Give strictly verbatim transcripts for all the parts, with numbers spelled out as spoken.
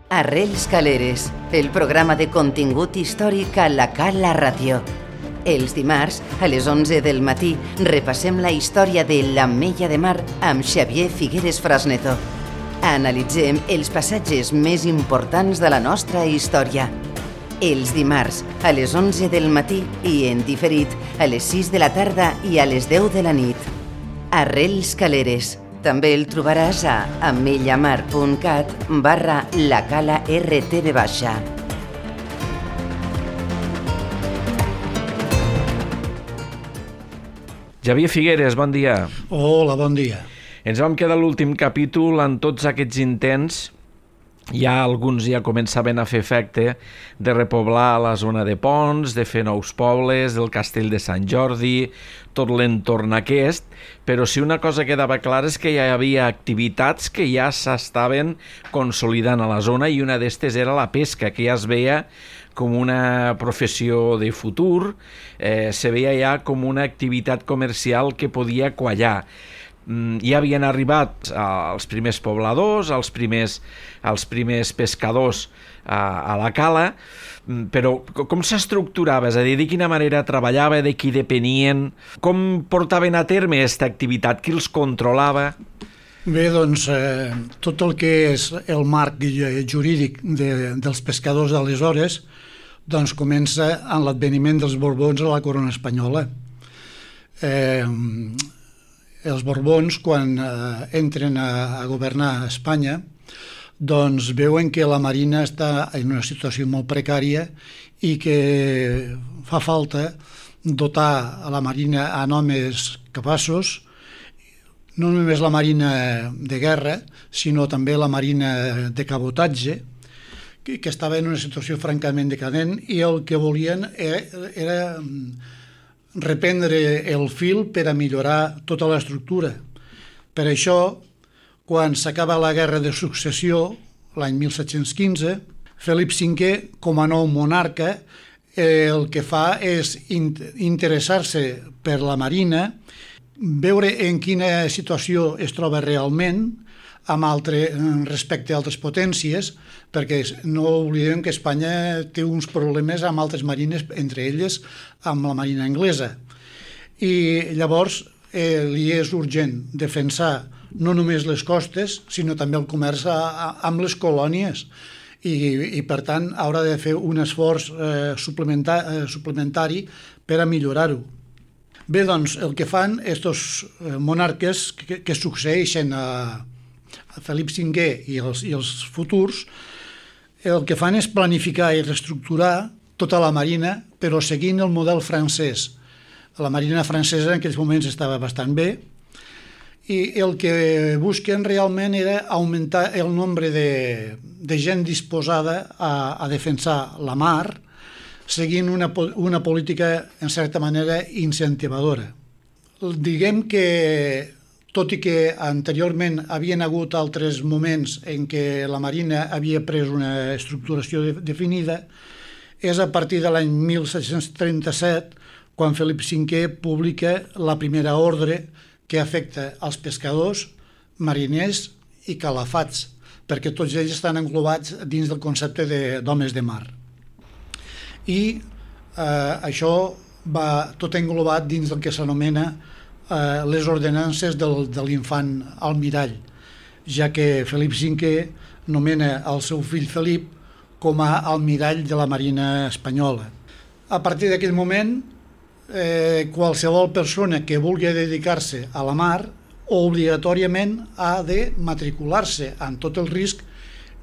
Arrels Caleres, el programa de contingut històric a la Cala Ràdio. Els dimarts, a les onze del matí, repassem la història de l'Ametlla de Mar amb Xavier Figueres Frasneto. Analitzem els passatges més importants de la nostra història. Els dimarts, a les onze del matí i en diferit, a les sis de la tarda i a les deu de la nit. Arrels Caleres. També el trobaràs a amellamar.cat barra la cala rtv baixa. Xavier Figueres, bon dia. Hola, bon dia. Ens vam quedar a l'últim capítol en tots aquests intents. Ja alguns ja començaven a fer efecte de repoblar la zona de Ponts, de fer nous pobles, del castell de Sant Jordi, tot l'entorn aquest, però si una cosa quedava clara és que hi havia activitats que ja s'estaven consolidant a la zona i una d'estes era la pesca, que ja es veia com una professió de futur, eh, se veia ja com una activitat comercial que podia quallar. Ja havien arribat els primers pobladors, els primers, els primers pescadors a, a la cala, però com s'estructurava? És a dir, de quina manera treballava, de qui depenien, com portaven a terme aquesta activitat, qui els controlava? Bé, doncs, eh, tot el que és el marc jurídic de, dels pescadors d'aleshores doncs comença amb l'adveniment dels Borbons a la corona espanyola. Eh... Els Borbons, quan eh, entren a, a governar Espanya, doncs veuen que la Marina està en una situació molt precària i que fa falta dotar a la Marina amb homes capaços, no només la Marina de guerra, sinó també la Marina de cabotatge, que, que estava en una situació francament decadent, i el que volien era... era reprendre el fil per a millorar tota l'estructura. Per això, quan s'acaba la Guerra de Successió, l'any mil set-cents quinze, Felip cinquè, com a nou monarca, el que fa és interessar-se per la Marina, veure en quina situació es troba realment amb altre, respecte a altres potències, perquè no oblidem que Espanya té uns problemes amb altres marines, entre elles amb la marina anglesa. I llavors eh, li és urgent defensar no només les costes, sinó també el comerç a, a, amb les colònies. I, i per tant haurà de fer un esforç eh, suplementar, eh, suplementari per a millorar-ho. Bé, doncs, el que fan estos monarques que, que succeeixen a Felip cinquè i els, i els futurs, el que fan és planificar i reestructurar tota la marina, però seguint el model francès. La marina francesa en aquells moments estava bastant bé, i el que busquen realment era augmentar el nombre de, de gent disposada a, a defensar la mar, seguint una, una política, en certa manera, incentivadora. Diguem que tot i que anteriorment havien hagut altres moments en què la Marina havia pres una estructuració de, definida, és a partir de l'any mil set-cents trenta-set quan Felip cinquè publica la primera ordre que afecta als pescadors, mariners i calafats, perquè tots ells estan englobats dins del concepte d'homes de, de mar. I eh, això va tot englobat dins del que s'anomena Eh, les ordenances del, de l'infant almirall, ja que Felip cinquè nomena el seu fill Felip com a almirall de la Marina espanyola. A partir d'aquell moment, eh, qualsevol persona que vulgui dedicar-se a la mar obligatòriament ha de matricular-se amb tot el risc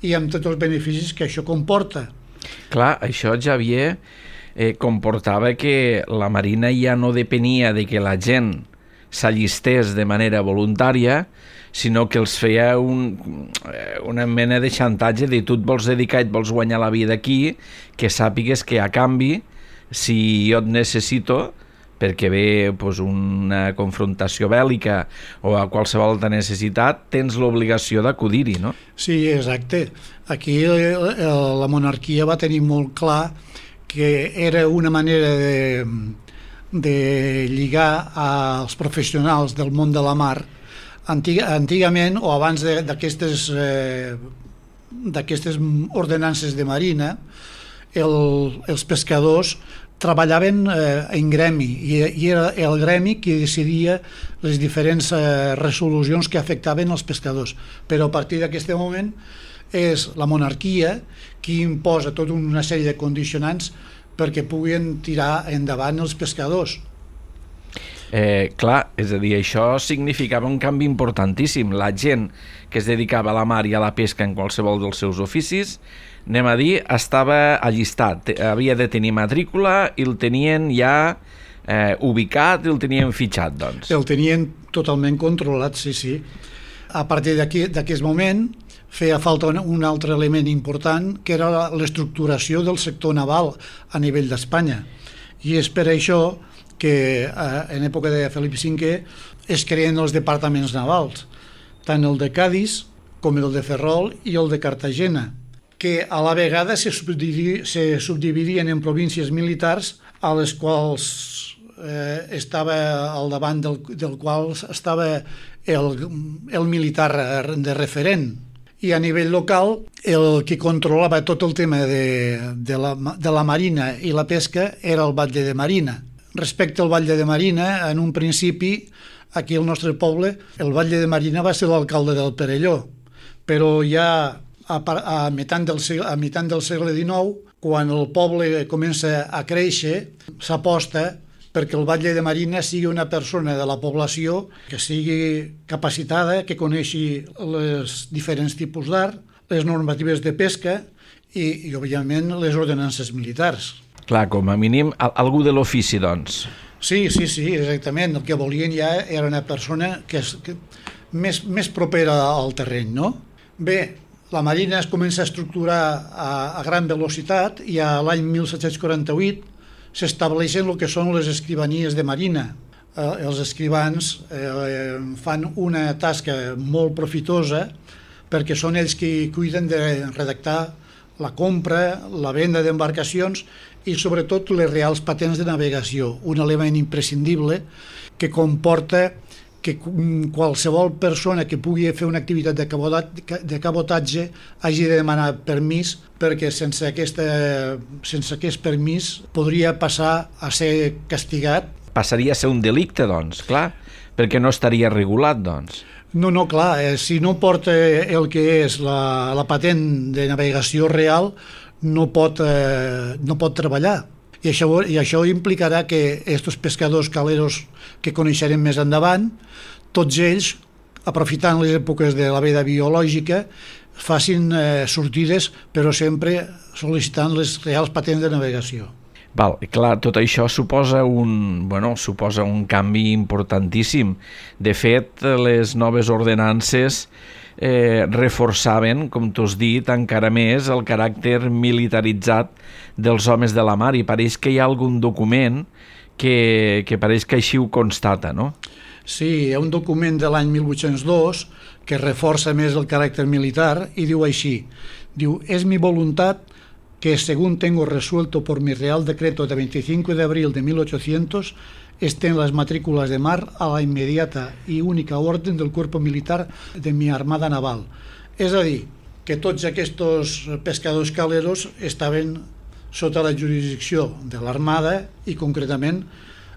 i amb tots els beneficis que això comporta. Clar, això, Xavier, eh, comportava que la Marina ja no depenia de que la gent s'allistés de manera voluntària, sinó que els feia un, una mena de xantatge de tu et vols dedicar i et vols guanyar la vida aquí, que sàpigues que a canvi, si jo et necessito, perquè ve pues, una confrontació bèl·lica o a qualsevol altra necessitat, tens l'obligació d'acudir-hi, no? Sí, exacte. Aquí la monarquia va tenir molt clar que era una manera de de lligar als professionals del món de la mar. Antiga, antigament, o abans d'aquestes eh, d'aquestes ordenances de marina, el, els pescadors treballaven eh, en gremi i, i era el gremi qui decidia les diferents eh, resolucions que afectaven els pescadors. Però a partir d'aquest moment és la monarquia qui imposa tota una sèrie de condicionants perquè puguin tirar endavant els pescadors. Eh, clar, és a dir, això significava un canvi importantíssim. La gent que es dedicava a la mar i a la pesca en qualsevol dels seus oficis, anem a dir, estava allistat, havia de tenir matrícula i el tenien ja eh, ubicat i el tenien fitxat, doncs. El tenien totalment controlat, sí, sí. A partir d'aquest moment feia falta un altre element important, que era l'estructuració del sector naval a nivell d'Espanya. I és per això que eh, en època de Felip cinquè es creen els departaments navals, tant el de Cadis com el de Ferrol i el de Cartagena, que a la vegada se subdividien, se subdividien en províncies militars a les quals eh, estava al davant del, del qual estava el, el militar de referent. I a nivell local, el que controlava tot el tema de, de, la, de la marina i la pesca era el batlle de Marina. Respecte al batlle de Marina, en un principi, aquí al nostre poble, el batlle de Marina va ser l'alcalde del Perelló, però ja a, a, mitant del segle, a mitant del segle dinou, quan el poble comença a créixer, s'aposta perquè el batlle de Marina sigui una persona de la població que sigui capacitada, que coneixi els diferents tipus d'art, les normatives de pesca i, i, òbviament, les ordenances militars. Clar, com a mínim, algú de l'ofici, doncs. Sí, sí, sí, exactament. El que volien ja era una persona que és que, més, més propera al terreny, no? Bé, la marina es comença a estructurar a, a gran velocitat i a l'any mil set-cents quaranta-vuit s'estableixen el que són les escrivanies de marina. Eh, els escrivans eh, fan una tasca molt profitosa perquè són ells qui cuiden de redactar la compra, la venda d'embarcacions i sobretot les reals patents de navegació, un element imprescindible que comporta que qualsevol persona que pugui fer una activitat de cabotatge hagi de demanar permís, perquè sense, aquesta, sense aquest permís podria passar a ser castigat. Passaria a ser un delicte, doncs, clar, perquè no estaria regulat, doncs. No, no, clar, eh, si no porta el que és la, la patent de navegació real, no pot, eh, no pot treballar. I això, I això implicarà que aquests pescadors caleros que coneixerem més endavant, tots ells, aprofitant les èpoques de la veda biològica, facin eh, sortides, però sempre sol·licitant les reals patents de navegació. Val, clar, tot això suposa un, bueno, suposa un canvi importantíssim. De fet, les noves ordenances eh, reforçaven, com tu has dit, encara més el caràcter militaritzat dels homes de la mar, i pareix que hi ha algun document que, que pareix que així ho constata, no? Sí, hi ha un document de l'any mil vuit-cents dos que reforça més el caràcter militar i diu així, diu, es mi voluntad que según tengo resuelto por mi Real Decreto de veinticinco de abril de mil ochocientos estén las matrículas de mar a la inmediata y única orden del cuerpo militar de mi armada naval. És a dir, que tots aquests pescadors caleros estaven sota la jurisdicció de l'armada i concretament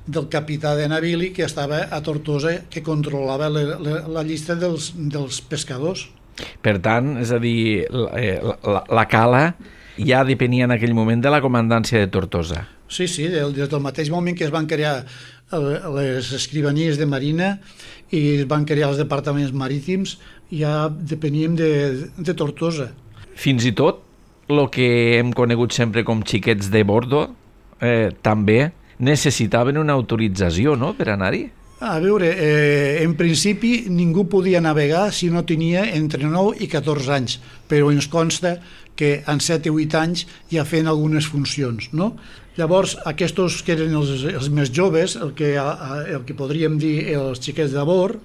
del capità de navili que estava a Tortosa, que controlava la, la, la llista dels, dels pescadors. Per tant, és a dir, la, la, la cala ja depenia en aquell moment de la comandància de Tortosa. Sí, sí, des del mateix moment que es van crear les escrivanies de marina i es van crear els departaments marítims, ja depeníem de, de Tortosa. Fins i tot el que hem conegut sempre com xiquets de bordo eh, també necessitaven una autorització, no?, per anar-hi. A veure, eh, en principi ningú podia navegar si no tenia entre nou i catorze anys, però ens consta que en set o vuit anys ja feien algunes funcions, no? Llavors, aquests que eren els, els més joves, el que, el que podríem dir els xiquets de bord,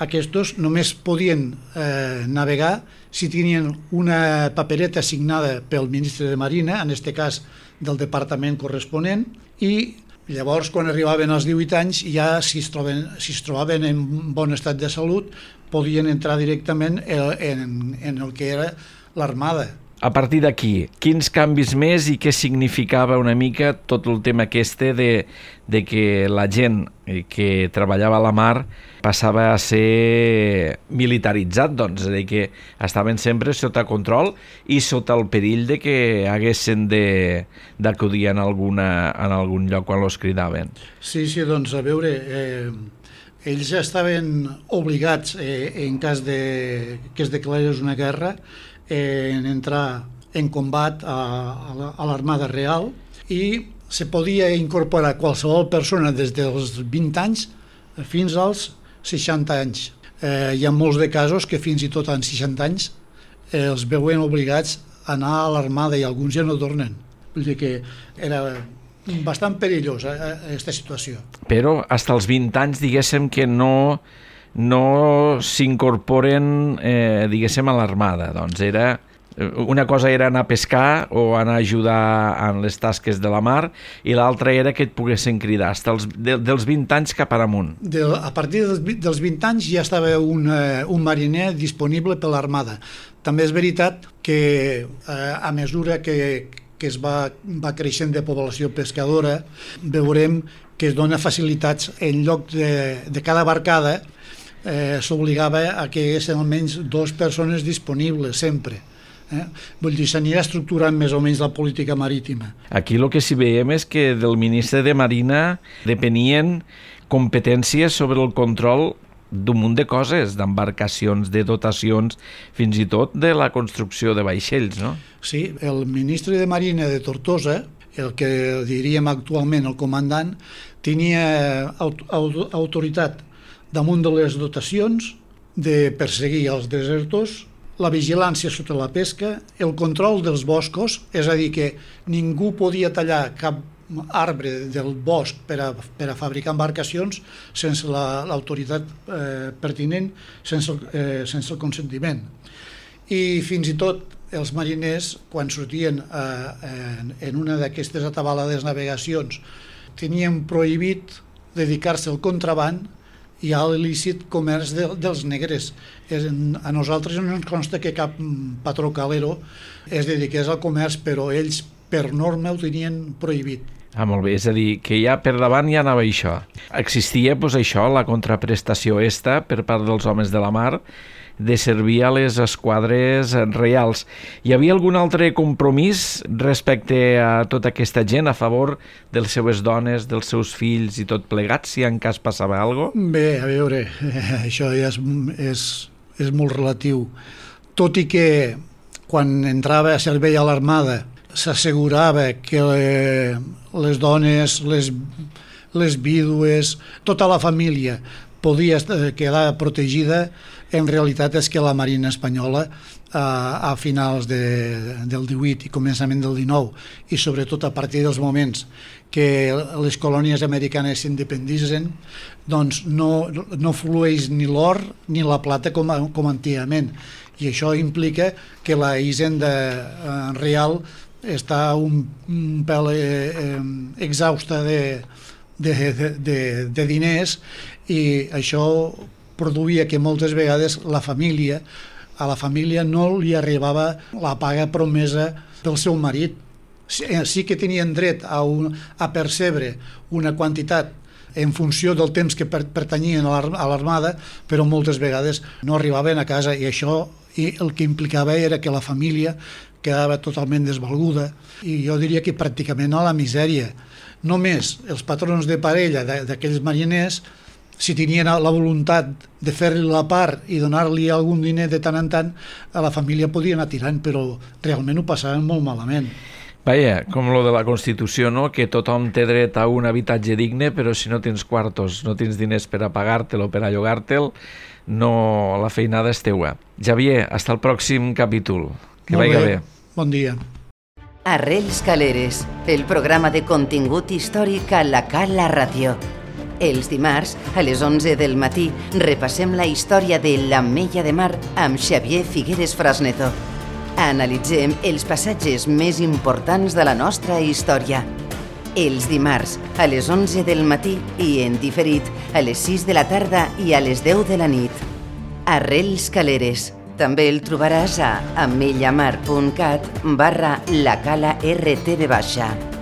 aquests només podien eh, navegar si tenien una papereta signada pel ministre de Marina, en aquest cas del departament corresponent, i llavors quan arribaven als divuit anys ja si es, troben, si es trobaven en bon estat de salut podien entrar directament en, en el que era l'armada. A partir d'aquí, quins canvis més i què significava una mica tot el tema aquest de, de que la gent que treballava a la mar passava a ser militaritzat, doncs, és a dir, que estaven sempre sota control i sota el perill de que haguessin d'acudir en, alguna, en algun lloc quan els cridaven. Sí, sí, doncs, a veure, eh, ells ja estaven obligats, eh, en cas de, que es declarés una guerra, en entrar en combat a, a l'Armada Real i se podia incorporar qualsevol persona des dels vint anys fins als seixanta anys. Eh, hi ha molts de casos que fins i tot en seixanta anys eh, els veuen obligats a anar a l'Armada i alguns ja no tornen. Vull dir que era bastant perillosa aquesta situació. Però fins als vint anys diguéssim que no... no s'incorporen, eh, diguéssim, a l'armada. Doncs era, una cosa era anar a pescar o anar a ajudar en les tasques de la mar i l'altra era que et poguessin cridar, fins de, dels vint anys cap amunt. De, a partir dels vint anys ja estava un, un mariner disponible per l'armada. També és veritat que eh, a mesura que, que es va, va creixent de població pescadora, veurem que es dona facilitats en lloc de, de cada barcada. Eh, s'obligava a que hi haguessin almenys dues persones disponibles sempre. Eh? Vull dir, s'anirà estructurant més o menys la política marítima. Aquí el que sí veiem és que del ministre de Marina depenien competències sobre el control d'un munt de coses, d'embarcacions, de dotacions, fins i tot de la construcció de vaixells, no? Sí, el ministre de Marina de Tortosa, el que diríem actualment el comandant, tenia aut aut autoritat damunt de les dotacions, de perseguir els desertors, la vigilància sota la pesca, el control dels boscos, és a dir, que ningú podia tallar cap arbre del bosc per a, per a fabricar embarcacions sense l'autoritat la, eh, pertinent, sense, eh, sense el consentiment. I fins i tot els mariners, quan sortien eh, en, en una d'aquestes atabalades navegacions, tenien prohibit dedicar-se al contraband i a l'il·lícit comerç de, dels negres. És, a nosaltres no ens consta que cap patró calero es dediqués al comerç, però ells per norma ho tenien prohibit. Ah, molt bé, és a dir, que ja per davant ja anava això. Existia, doncs, això, la contraprestació esta per part dels homes de la mar, de servir a les esquadres reials. Hi havia algun altre compromís respecte a tota aquesta gent a favor de les seves dones, dels seus fills i tot plegat, si en cas passava alguna cosa? Bé, a veure, això ja és, és, és molt relatiu. Tot i que quan entrava a servei a l'armada s'assegurava que les dones, les, les vídues, tota la família podia quedar protegida, en realitat és que la Marina espanyola a, a finals de, del divuit i començament del dinou i sobretot a partir dels moments que les colònies americanes s'independitzen, doncs no, no flueix ni l'or ni la plata com, com antigament, i això implica que la hisenda eh, real està un, un pèl eh, exhausta de, de, de, de diners, i això produïa que moltes vegades la família, a la família no li arribava la paga promesa pel seu marit. Sí que tenien dret a, un, a percebre una quantitat en funció del temps que per, pertanyien a l'armada, però moltes vegades no arribaven a casa, i això i el que implicava era que la família quedava totalment desvalguda, i jo diria que pràcticament a la misèria. Només els patrons de parella d'aquells mariners, si tenien la voluntat de fer-li la part i donar-li algun diner de tant en tant, a la família podia anar tirant, però realment ho passaven molt malament. Vaja, com lo de la Constitució, no? Que tothom té dret a un habitatge digne, però si no tens quartos, no tens diners per a pagar-te'l o per a llogar-te'l, no, la feinada és teua. Javier, hasta el pròxim capítol. Que vagi bé. Bon dia. Arrels Caleres, el programa de contingut històric a la Cala Ràdio. Els dimarts, a les onze del matí, repassem la història de l'Ametlla de Mar amb Xavier Figueres Frasneto. Analitzem els passatges més importants de la nostra història. Els dimarts, a les onze del matí i en diferit, a les sis de la tarda i a les deu de la nit. Arrels Caleres, També el trobaràs a amellamar punt cat barra la cala R T V baixa.